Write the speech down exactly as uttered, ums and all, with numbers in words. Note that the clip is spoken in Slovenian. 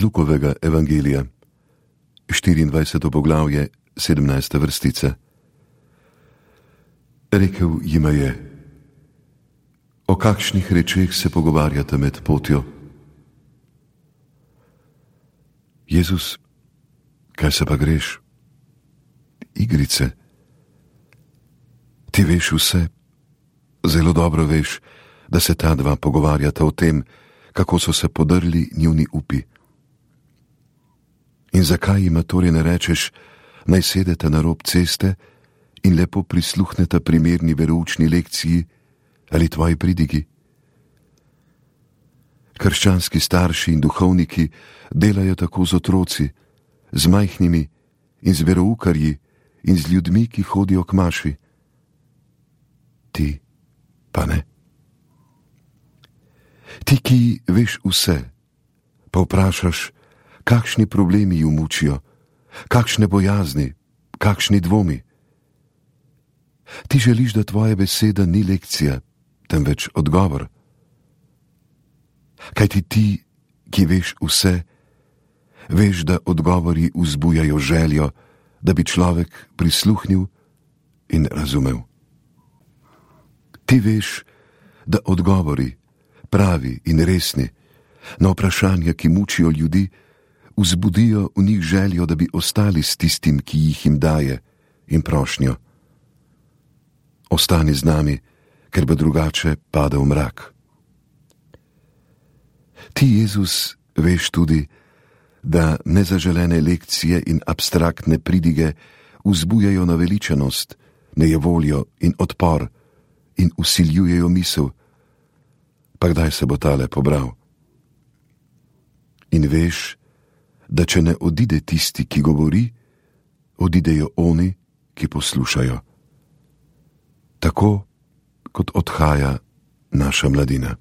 Iz Lukovega evangelija, štiriindvajseto poglavje, sedemnajsta vrstica. Rekel jima je: o kakšnih rečeh se pogovarjate med potjo? Jezus: kaj se pa greš? Igrice. Ti veš vse, zelo dobro veš, da se ta dva pogovarjata o tem, kako so se podrli njuni upi. In zakaj jima torej ne rečeš, naj sedeta na rob ceste in lepo prisluhneta primerni veroučni lekciji ali tvoji pridigi? Krščanski starši in duhovniki delajo tako z otroci, z majhnimi in z veroukarji in z ljudmi, ki hodijo k maši. Ti pa ne. Ti, ki veš vse, pa vprašaš, kakšni problemi ju mučijo, kakšne bojazni, kakšni dvomi. Ti želiš, da tvoja beseda ni lekcija, temveč odgovor. Kajti ti, ki veš vse, veš, da odgovori vzbujajo željo, da bi človek prisluhnil in razumel. Ti veš, da odgovori, pravi in resni, na vprašanja, ki mučijo ljudi, vzbudijo v njih željo, da bi ostali s tistim, ki jih jim daje, in prošnjo: ostani z nami, ker bo drugače padel mrak. Ti, Jezus, veš tudi, da nezaželene lekcije in abstraktne pridige vzbujajo naveličanost, nejevoljo in odpor in vsiljujejo misel: pa kdaj se bo tale pobral? In veš, da če ne odide tisti, ki govori, odidejo oni, ki poslušajo. Tako kot odhaja naša mladina.